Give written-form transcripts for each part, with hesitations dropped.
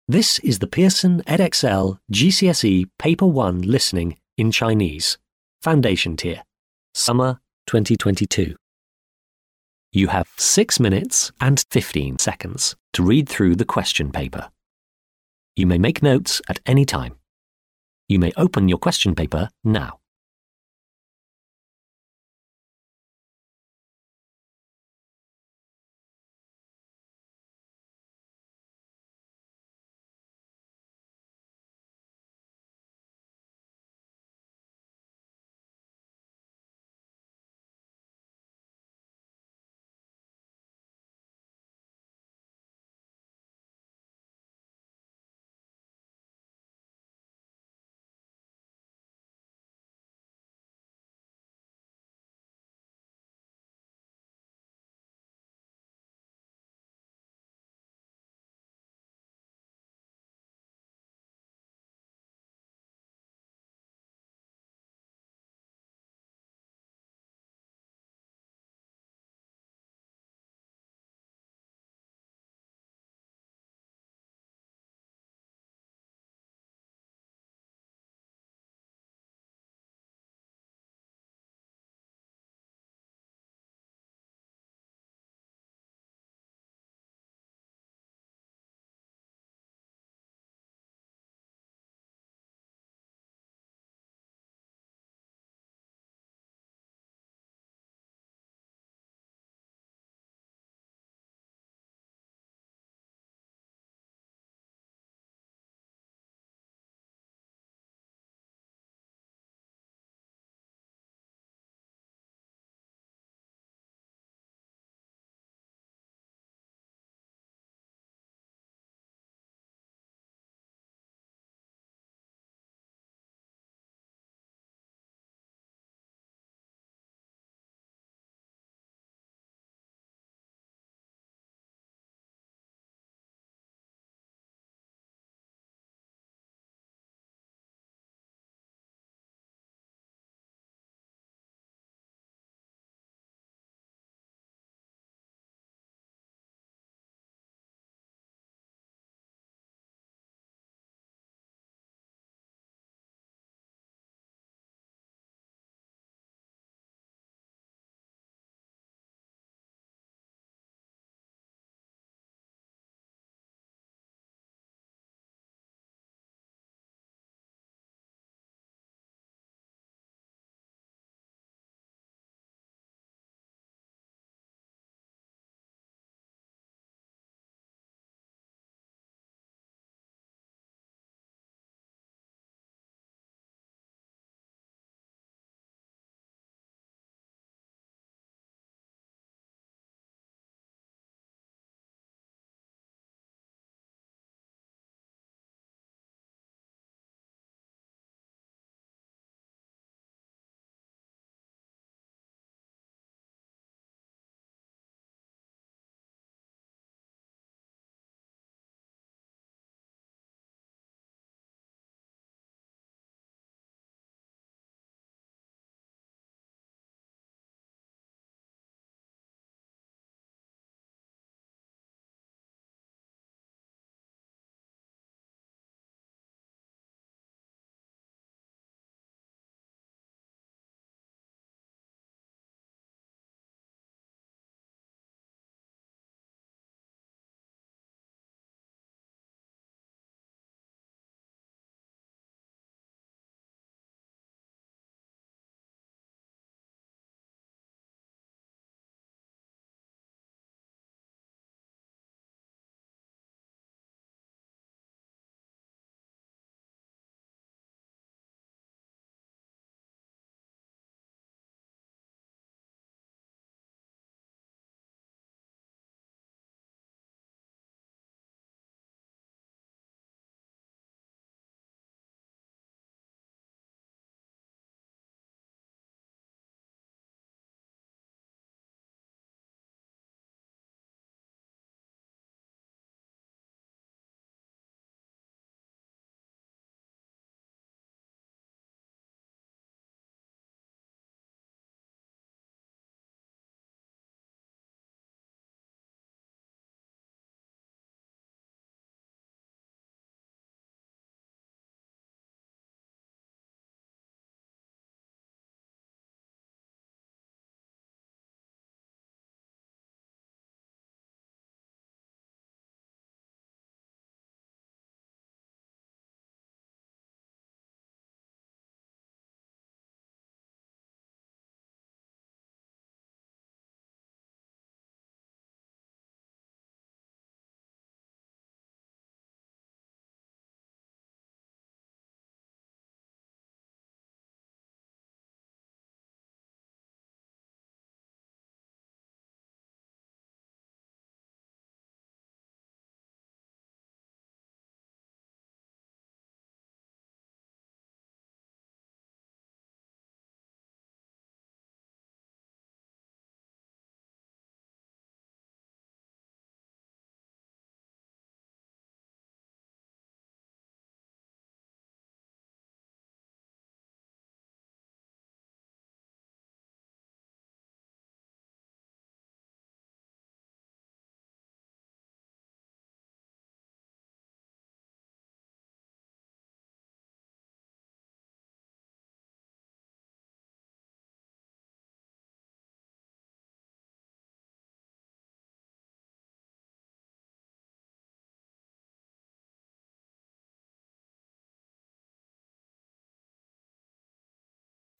This is the Pearson Edexcel GCSE Paper 1 Listening in Chinese, Foundation Tier, Summer 2022. You have 6 minutes and 15 seconds to read through the question paper. You may make notes at any time. You may open your question paper now.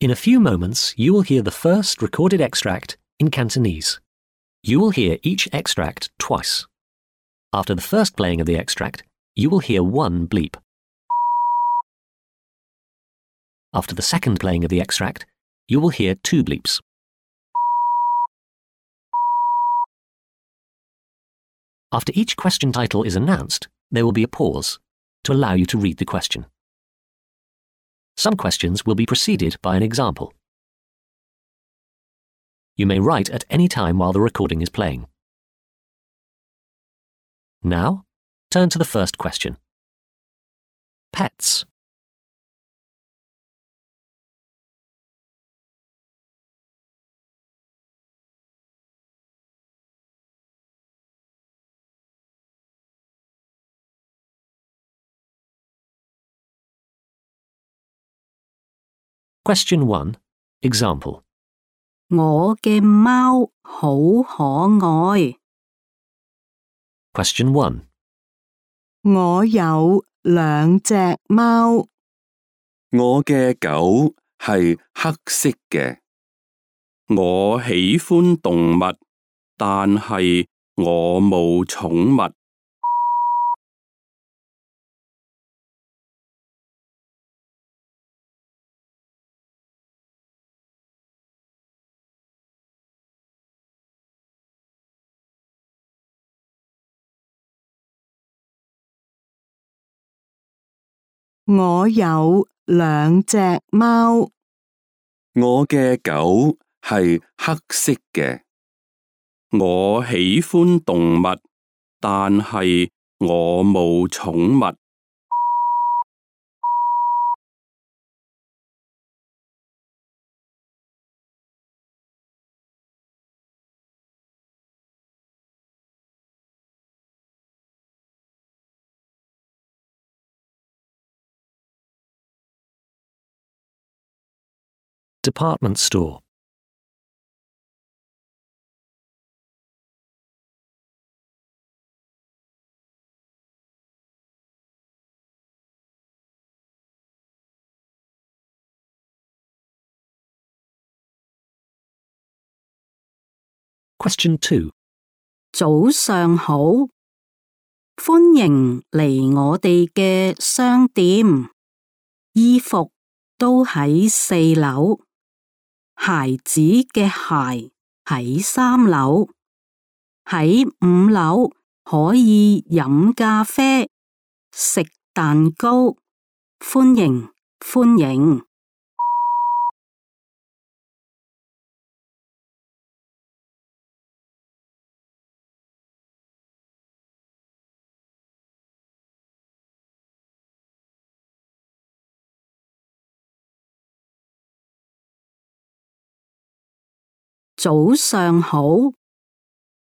In a few moments, you will hear the first recorded extract in Cantonese. You will hear each extract twice. After the first playing of the extract, you will hear one bleep. After the second playing of the extract, you will hear two bleeps. After each question title is announced, there will be a pause to allow you to read the question. Some questions will be preceded by an example. You may write at any time while the recording is playing. Now, turn to the first question. Pets. Question 1. Example. 我嘅貓好可愛。 Question 1. 我有兩隻貓。我嘅狗係黑色嘅。我喜歡動物，但係我冇寵物。我有兩隻貓。我嘅狗係黑色嘅。我喜歡動物，但係我冇寵物。Department store. Question 2. 早上好，歡迎嚟我哋嘅商店，衣服都喺4樓，孩子嘅鞋喺3樓，喺5樓可以飲咖啡、食蛋糕，歡迎歡迎。早上好，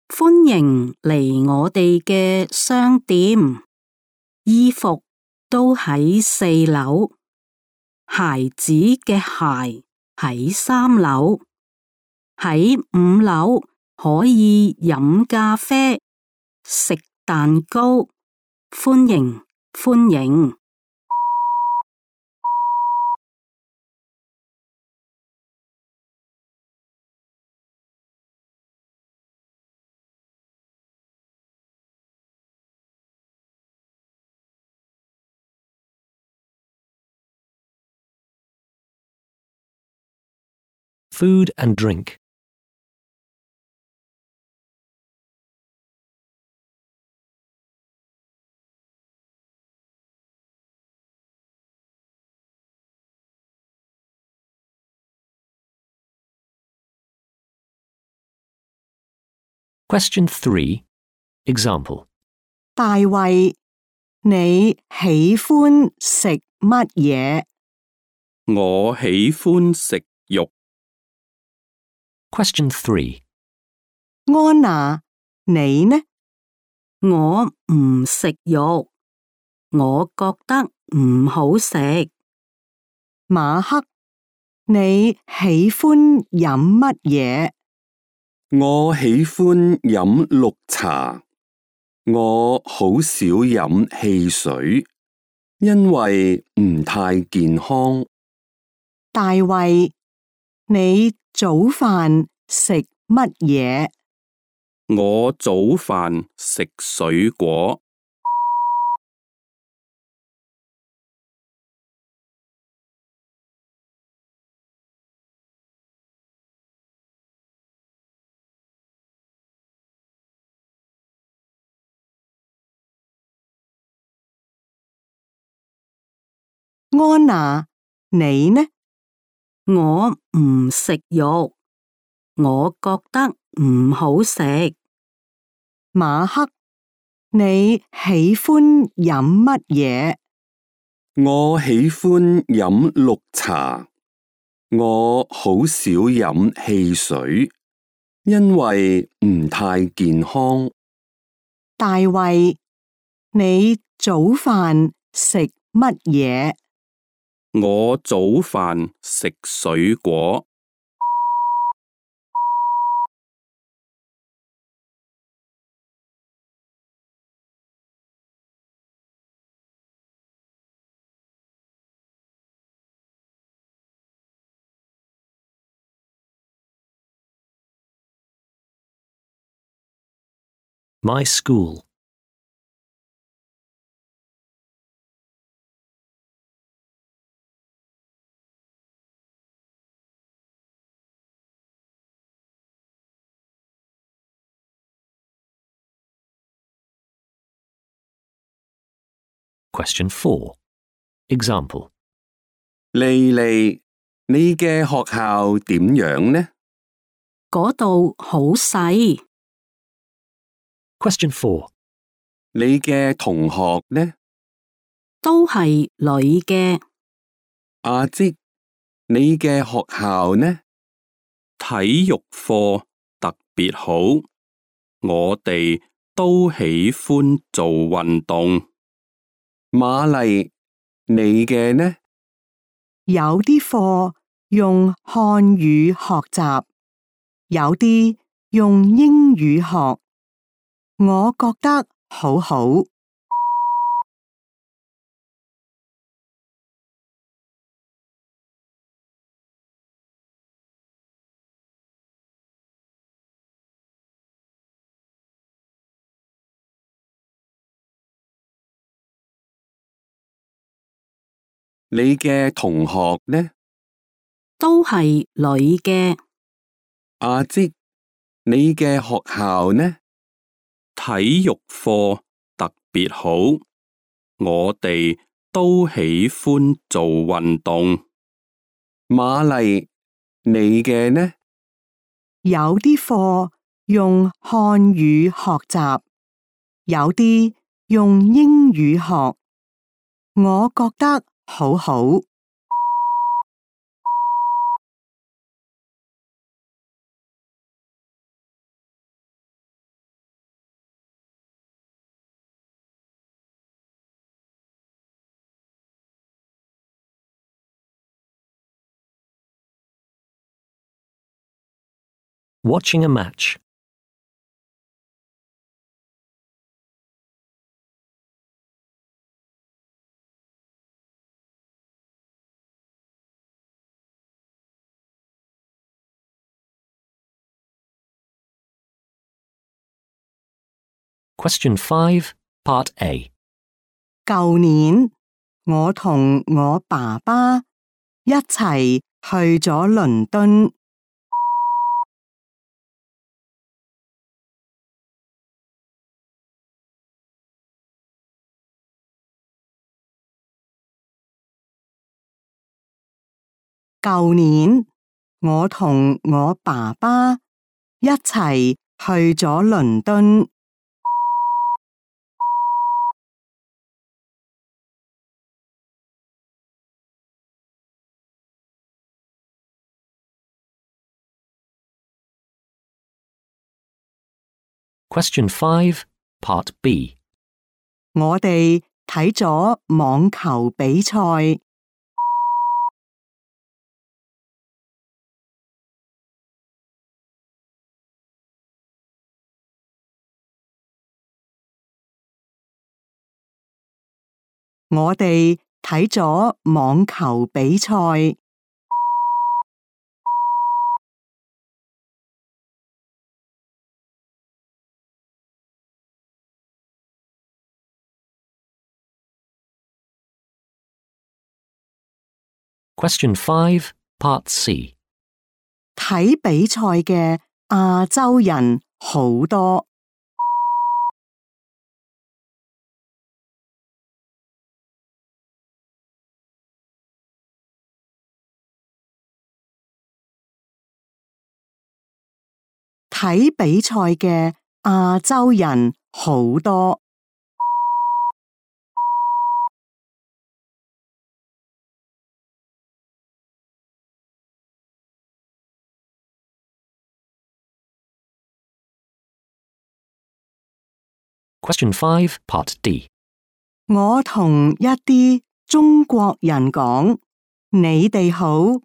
歡迎嚟我哋嘅商店，衣服都喺4樓，孩子嘅鞋喺3樓，喺5樓可以飲咖啡、食蛋糕，歡迎歡迎。Food and drink. Question 3. Example. 大衛，你喜歡食乜嘢？我喜歡食肉。Question 3. 安娜，你呢？我唔食肉，我覺得唔好食。馬克，你喜歡飲乜嘢？我喜歡飲綠茶。我好少飲汽水，因為唔太健康。大衛，你早飯食乜嘢？我早飯食水果。安娜，你呢？我唔食肉，我覺得唔好食。馬克，你喜歡飲乜嘢？我喜歡飲綠茶。我好少飲汽水，因為唔太健康。大衛，你早飯食乜嘢？我早飯食水果。My school. Question 4. Example. 莉莉，你嘅學校點樣呢？嗰度好細，Question 4. 你嘅同學呢？都係女嘅。阿積，你嘅學校呢？體育課特別好，我哋都喜歡做運動。瑪麗，你嘅呢？有啲課用漢語學習，有啲用英語學。我覺得好好。你嘅同學呢？都係女嘅。阿積，你嘅學校呢？體育課特別好，我哋都喜歡做運動。瑪麗，你嘅呢？有啲課用漢語學習，有啲用英語學。我覺得好好。Watching a match. Question 5, Part A. 舊年我同我爸爸一齊去咗倫敦。舊年我同我爸爸一齊去咗倫敦。Question 5, Part B. 我哋睇咗網球比賽。我哋睇咗網球比賽。Question 5, Part C. 睇比賽嘅亞洲人好多。睇比賽嘅亞洲人好多。Question 5, Part D. 我同一啲中國人講，你哋好，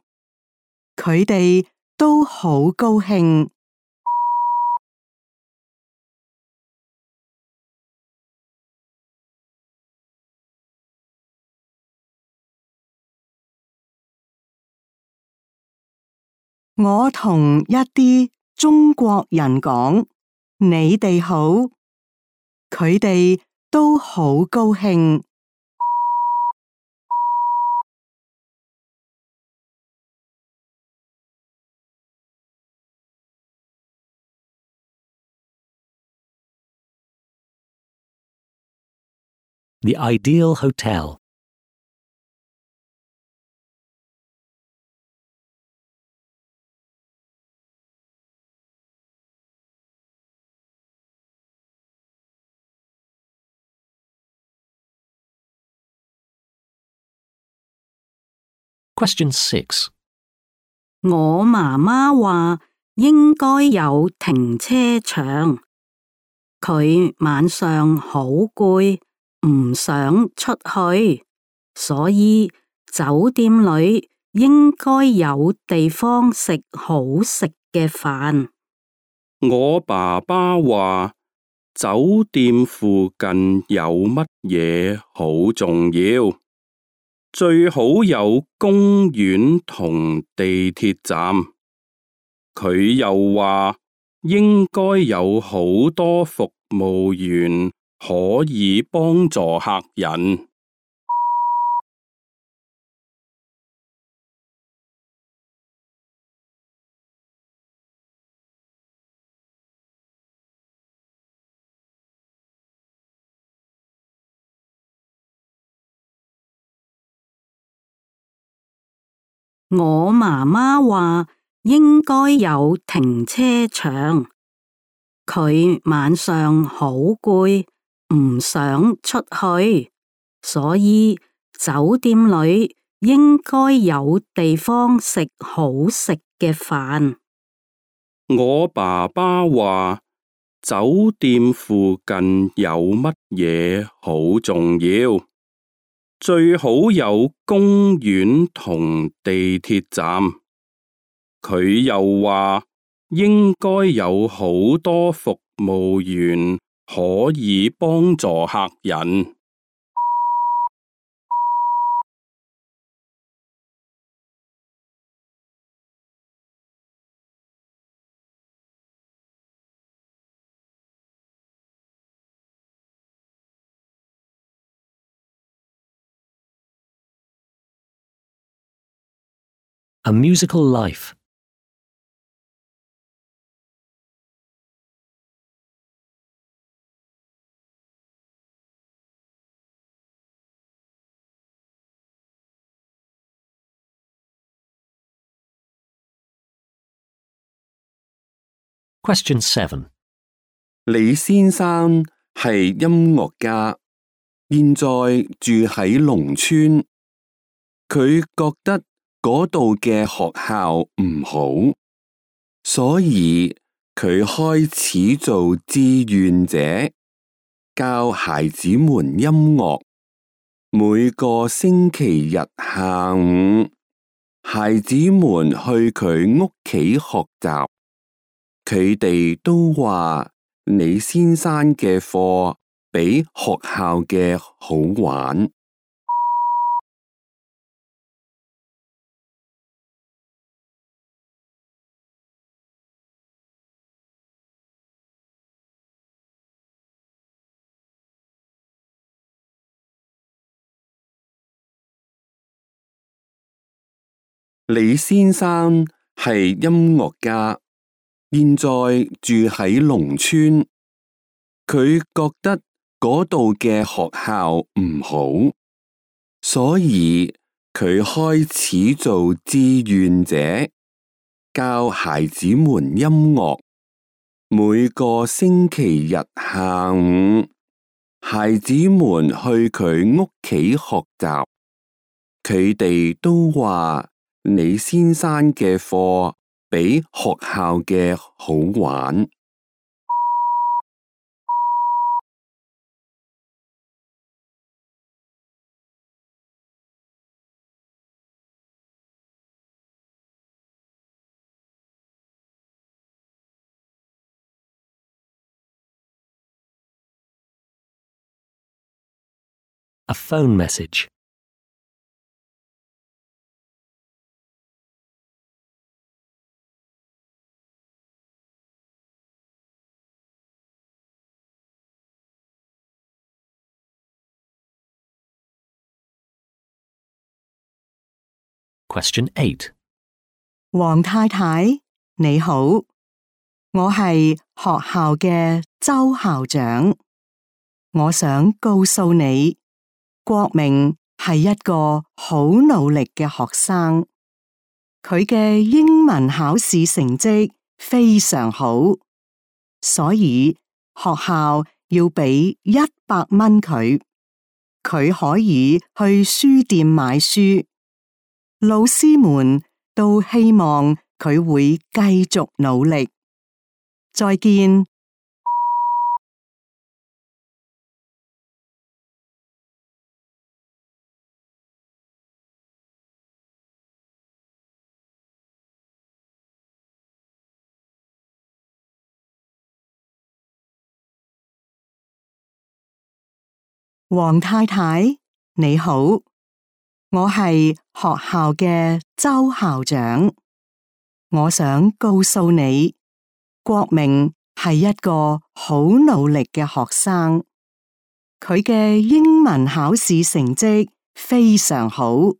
佢哋都好高興。我同一啲中國人講，你哋好，佢哋都好高興。The Ideal Hotel. Question 6. 我媽媽話應該有停車場，佢晚上好攰，唔想出去，所以酒店裏應該有地方食好食嘅飯。我爸爸話酒店附近有乜嘢好重要，最好有公園同地鐵站。佢又話應該有好多服務員可以幫助客人。我媽媽話應該有停車場，佢晚上好攰，唔想出去，所以酒店裏應該有地方食好食嘅飯。我爸爸話酒店附近有乜嘢好重要，最好有公園同地鐵站。佢又話應該有好多服務員可以幫助客人。A Musical Life. Question 7. 李先生係音樂家，現在住喺農村。佢覺得嗰度嘅學校唔好，所以佢開始做志願者，教孩子們音樂。每個星期日下午，孩子們去佢屋企學習。佢哋都話李先生嘅課比學校嘅好玩。李先生係音樂家，現在住喺農村。佢覺得嗰度嘅學校唔好，所以佢開始做志願者，教孩子們音樂。每個星期日下午，孩子們去佢屋企學習，佢哋都話李先生嘅課比學校嘅好玩。A phone message. Question 8. 黃太太，你好，我係學校嘅周校長。我想告訴你，國明係一個好努力嘅學生，佢嘅英文考試成績非常好，所以學校要俾100蚊佢，佢可以去書店買書。老師們都希望佢會繼續努力。再見。黃太太，你好，我係學校嘅周校長。我想告訴你，國明係一個好努力嘅學生，佢嘅英文考試成績非常好，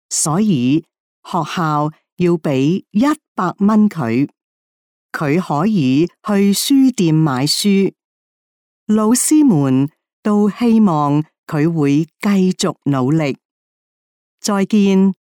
所以學校要俾100蚊佢，佢可以去書店買書。老師們都希望佢會繼續努力。再見。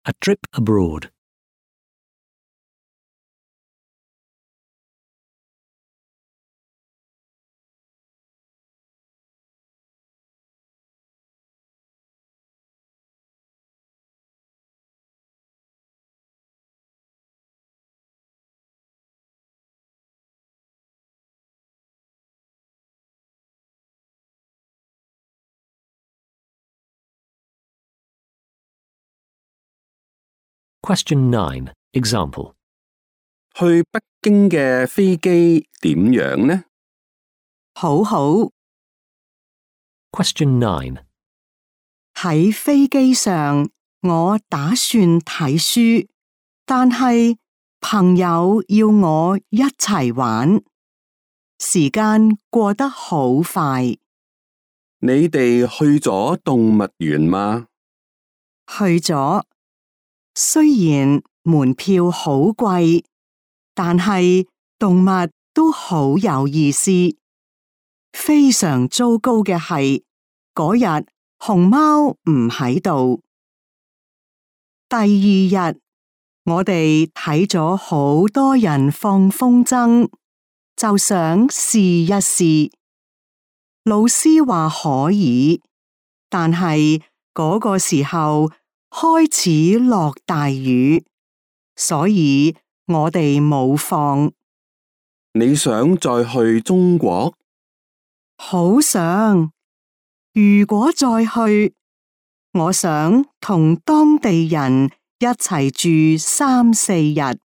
A trip abroad. Question 9. Example. 去北京嘅飛機點樣呢？好好。Question 9. 喺飛機上，我打算睇書，但係朋友要我一齊玩，時間過得好快。你哋去咗動物園嗎？去咗，雖然門票好貴，但係動物都好有意思。非常糟糕嘅係，嗰日熊貓唔喺度。第二日，我哋睇咗好多人放風箏，就想試一試。老師話可以，但係嗰個時候開始落大雨，所以我哋冇放。你想再去中國？好想，如果再去，我想同當地人一齊住3、4日。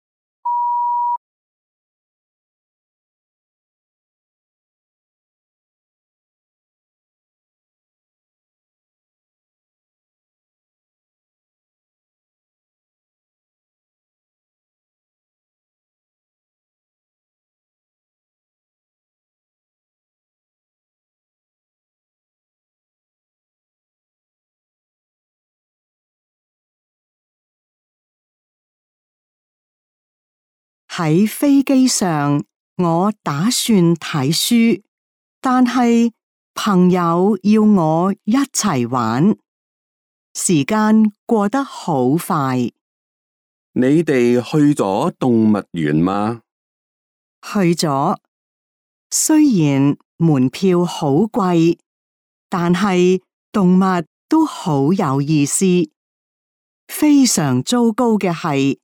喺飛機上，我打算睇書，但係朋友要我一齊玩，時間過得好快。你哋去咗動物園嗎？去咗，雖然門票好貴，但係動物都好有意思。非常糟糕嘅係，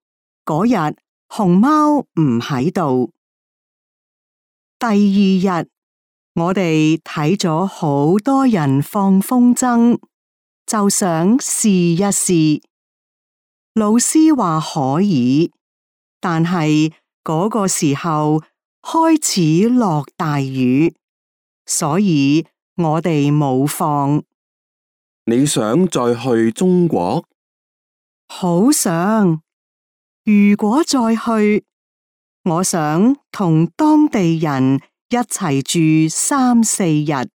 嗰日熊貓唔喺度。第二日，我哋睇咗好多人放風箏，就想試一試。老師話可以，但係嗰個時候開始落大雨，所以我哋冇放。你想再去中國？好想，如果再去，我想同當地人一齊住3-4日。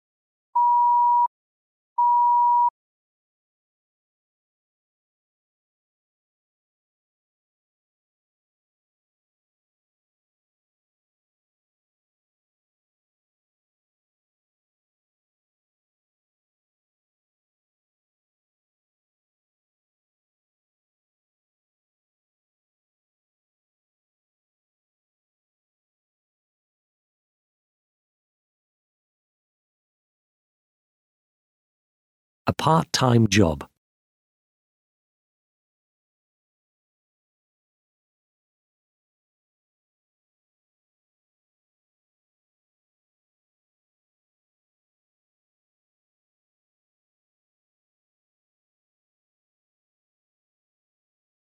A part-time job.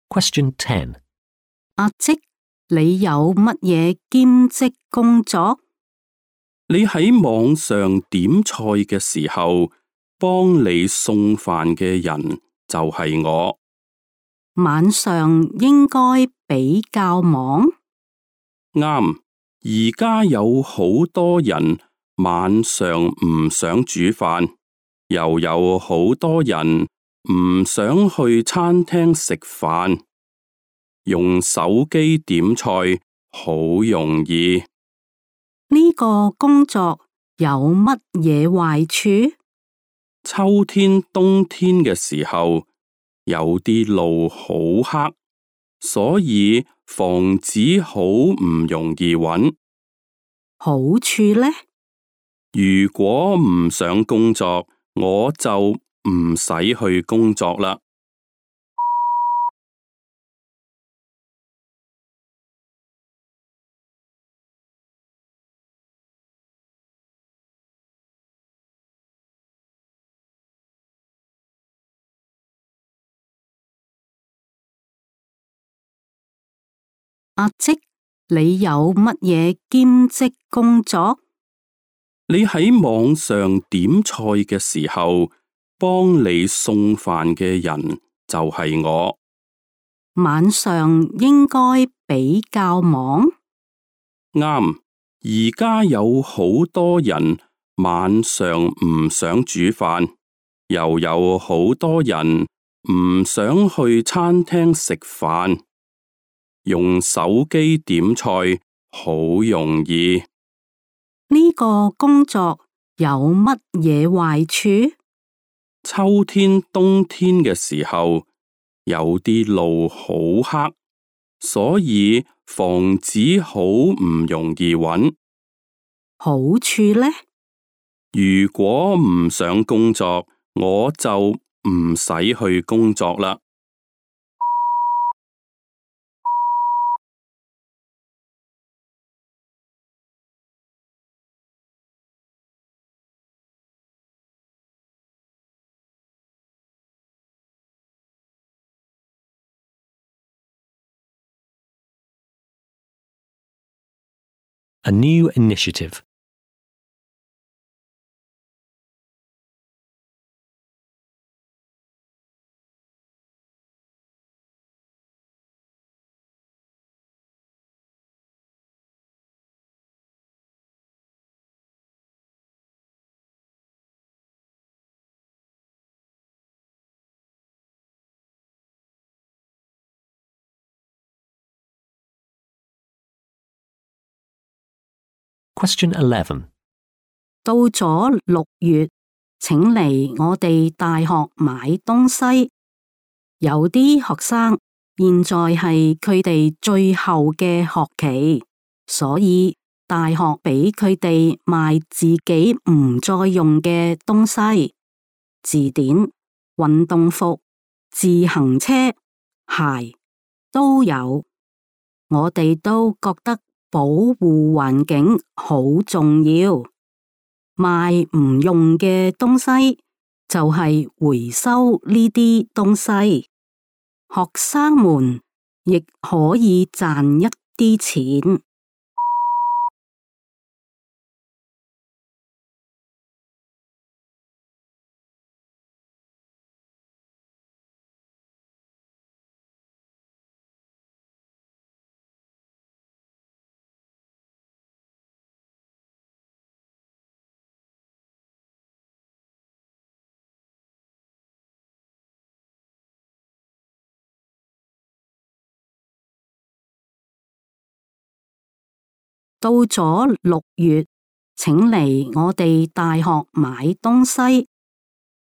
Question 10. 阿積，你有乜嘢兼職工作？你喺網上點菜嘅時候，幫你送飯嘅人就係我。晚上應該比較忙。啱，而家有好多人晚上唔想煮飯，又有好多人唔想去餐廳食飯，用手機點菜好容易。呢個工作有乜嘢壞處？秋天、冬天嘅時候，有啲路好黑，所以房子好唔容易揾。好處呢？如果唔想工作，我就唔使去工作啦。阿積，你有乜嘢兼職工作？你喺網上點菜嘅時候，幫你送飯嘅人就係我。晚上應該比較忙。啱，而家有好多人晚上唔想煮飯，又有好多人唔想去餐廳食飯，用手機點菜好容易。呢個工作有乜嘢壞處？秋天、冬天嘅時候，有啲路好黑，所以房子好唔容易揾。好處呢？如果唔想工作，我就唔使去工作啦。A new initiative. Question 11. 到咗6月，請嚟我哋大學買東西。有啲學生現在係佢哋最後嘅學期，所以大學俾佢哋賣自己唔再用嘅東西，字典、運動服、自行車、鞋都有。我哋都覺得保護環境好重要，賣唔用嘅東西就係回收呢啲東西。學生們亦可以賺一啲錢。到咗6月，請嚟我哋大學買東西。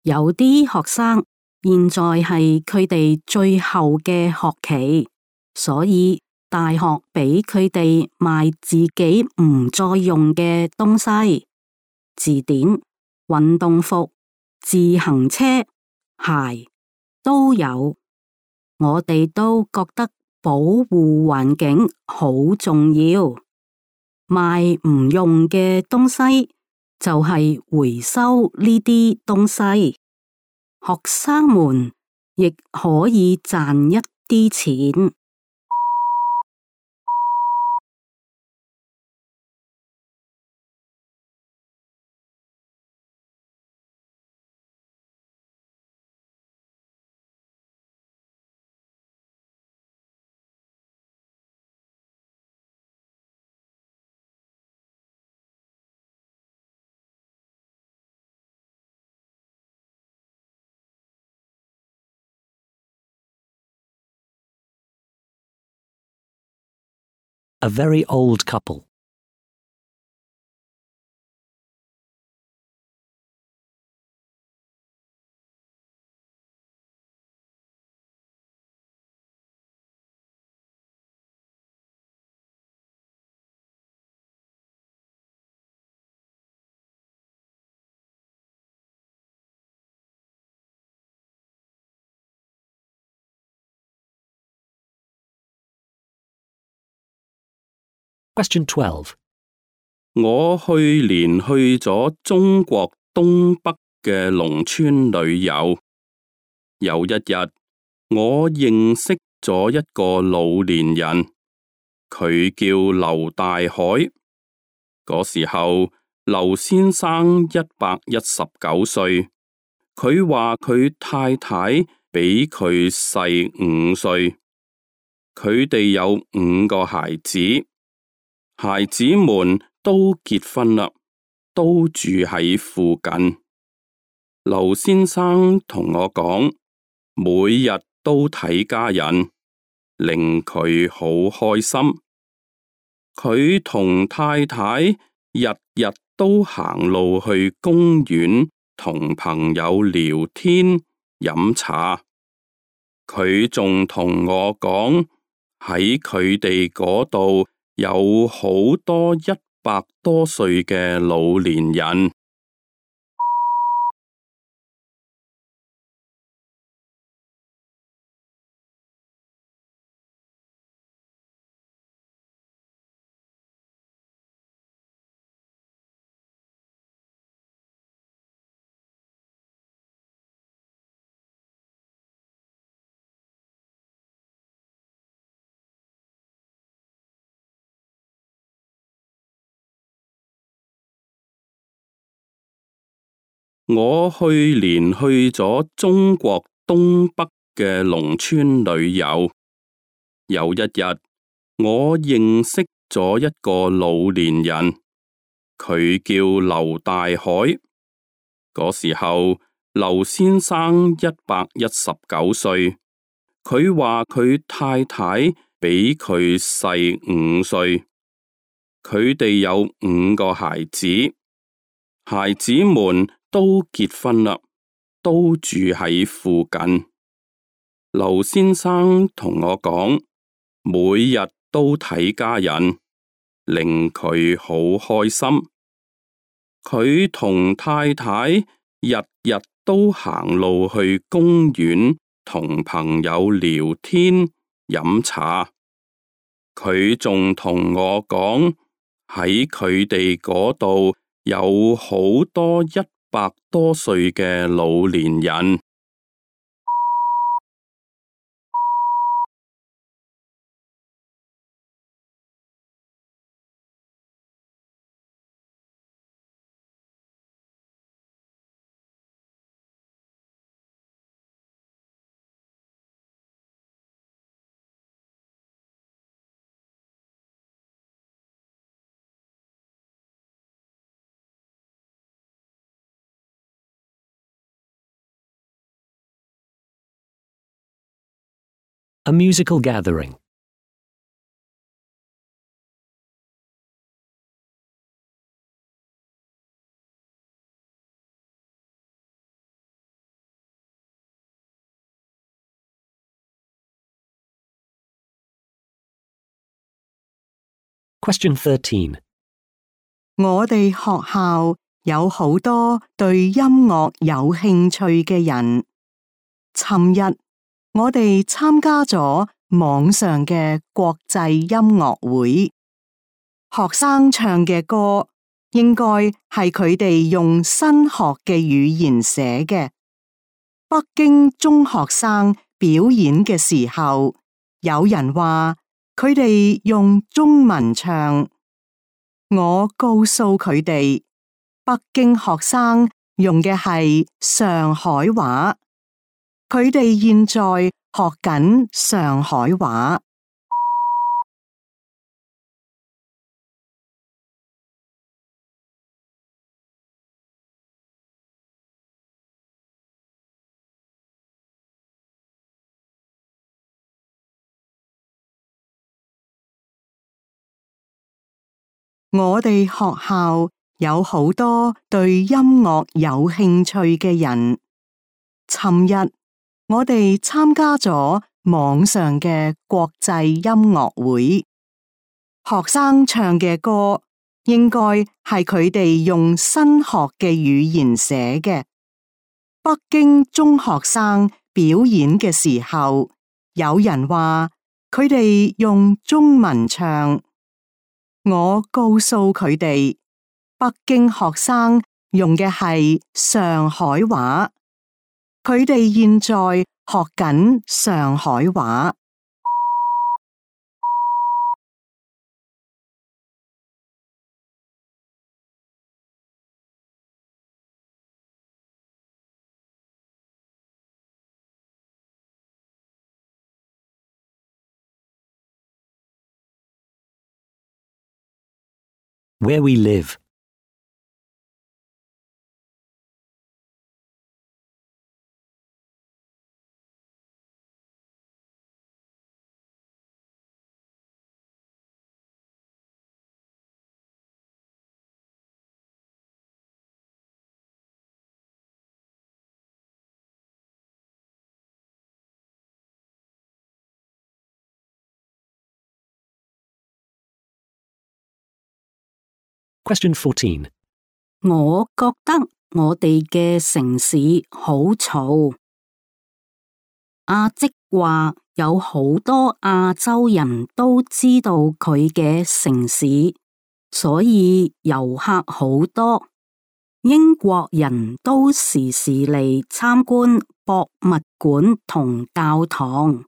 有啲學生現在係佢哋最後嘅學期，所以大學俾佢哋賣自己唔再用嘅東西，字典、運動服、自行車、鞋都有。我哋都覺得保護環境好重要。賣唔用嘅東西就係回收呢啲東西，學生們亦可以賺一啲錢。A very old couple. Question 12. 我去年去咗中國東北嘅農村旅遊，有一日我認識咗一個老年人，佢叫劉大海。嗰時候劉先生119歲，佢話佢太太比佢細5歲，佢哋有5個孩子。孩子們都結婚啦，都住喺附近。劉先生同我講，每日都睇家人，令佢好開心。佢同太太日日都行路去公園同朋友聊天飲茶。佢仲同我講，喺佢哋嗰度有好多100多歲嘅老年人。我去年去咗中國東北嘅農村旅遊，有一日我認識咗一個老年人，佢叫劉大海。嗰時候劉先生119歲，佢話佢太太比佢細5歲，佢哋有5個孩子，孩子們都結婚啦，都住喺附近。劉先生同我講，每日都睇家人，令佢好開心。佢同太太日日都行路去公園，同朋友聊天飲茶。佢仲同我講，喺佢哋嗰度有好多100多歲嘅老年人。A musical gathering. Question 13. 我哋學校有好多對音樂有興趣嘅人。尋日我哋參加咗網上嘅國際音樂會，學生唱嘅歌應該係佢哋用新學嘅語言寫嘅。北京中學生表演嘅時候，有人話佢哋用中文唱。我告訴佢哋，北京學生用嘅係上海話，佢哋現在學緊上海話。我哋學校有好多對音樂有興趣嘅人。尋日我哋參加咗網上嘅國際音樂會，學生唱嘅歌應該係佢哋用新學嘅語言寫嘅。北京中學生表演嘅時候，有人話佢哋用中文唱。我告訴佢哋，北京學生用嘅係上海話，佢哋現在學緊上海話。Where we live. Question 14. 我覺得我哋嘅城市好嘈。阿即話有好多亞洲人都知道佢嘅城市，所以遊客好多。英國人都時時嚟參觀博物館同教堂。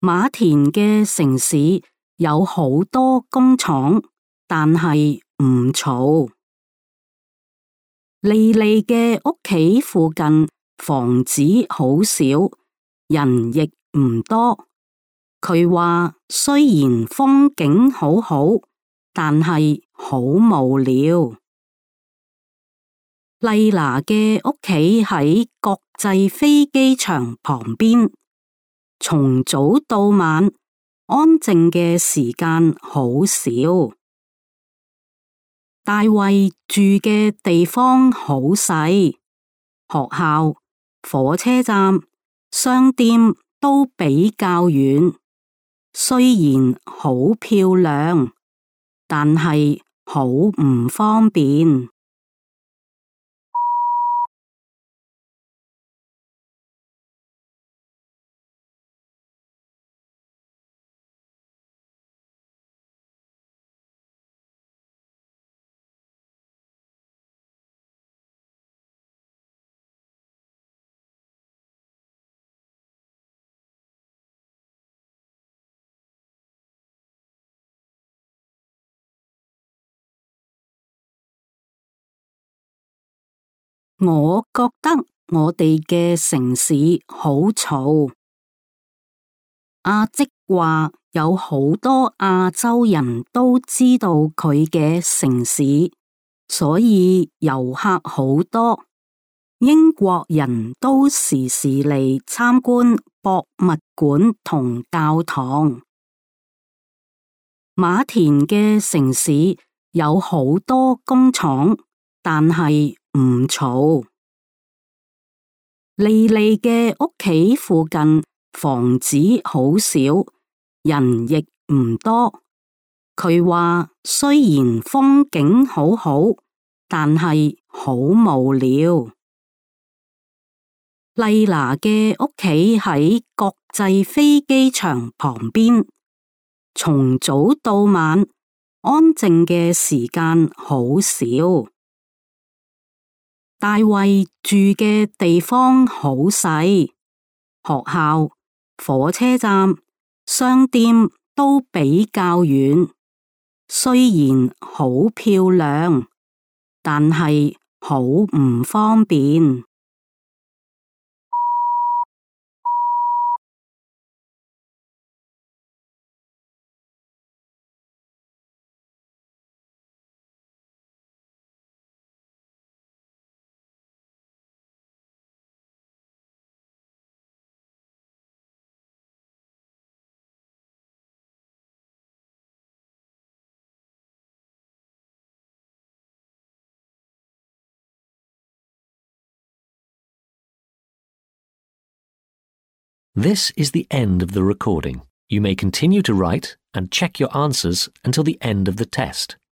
馬田嘅城市有好多工廠，但係唔嘈。莉莉嘅屋企附近房子好少，人亦唔多。佢話雖然風景好好，但係好無聊。麗娜嘅屋企喺國際飛機場旁邊，從早到晚安靜嘅時間好少。大衛住嘅地方好細，學校、火車站、商店都比較遠。雖然好漂亮，但係好唔方便。我覺得我哋嘅城市好嘈。阿即話有好多亞洲人都知道佢嘅城市，所以遊客好多。英國人都時時嚟參觀博物館同教堂。馬田嘅城市有好多工廠，但係唔嘈。莉莉嘅屋企附近房子好少，人亦唔多。佢話雖然風景好好，但係好無聊。麗娜嘅屋企喺國際飛機場旁邊，從早到晚安靜嘅時間好少。大衛住嘅地方好細，學校、火車站、商店都比較遠。雖然好漂亮，但係好唔方便。This is the end of the recording. You may continue to write and check your answers until the end of the test.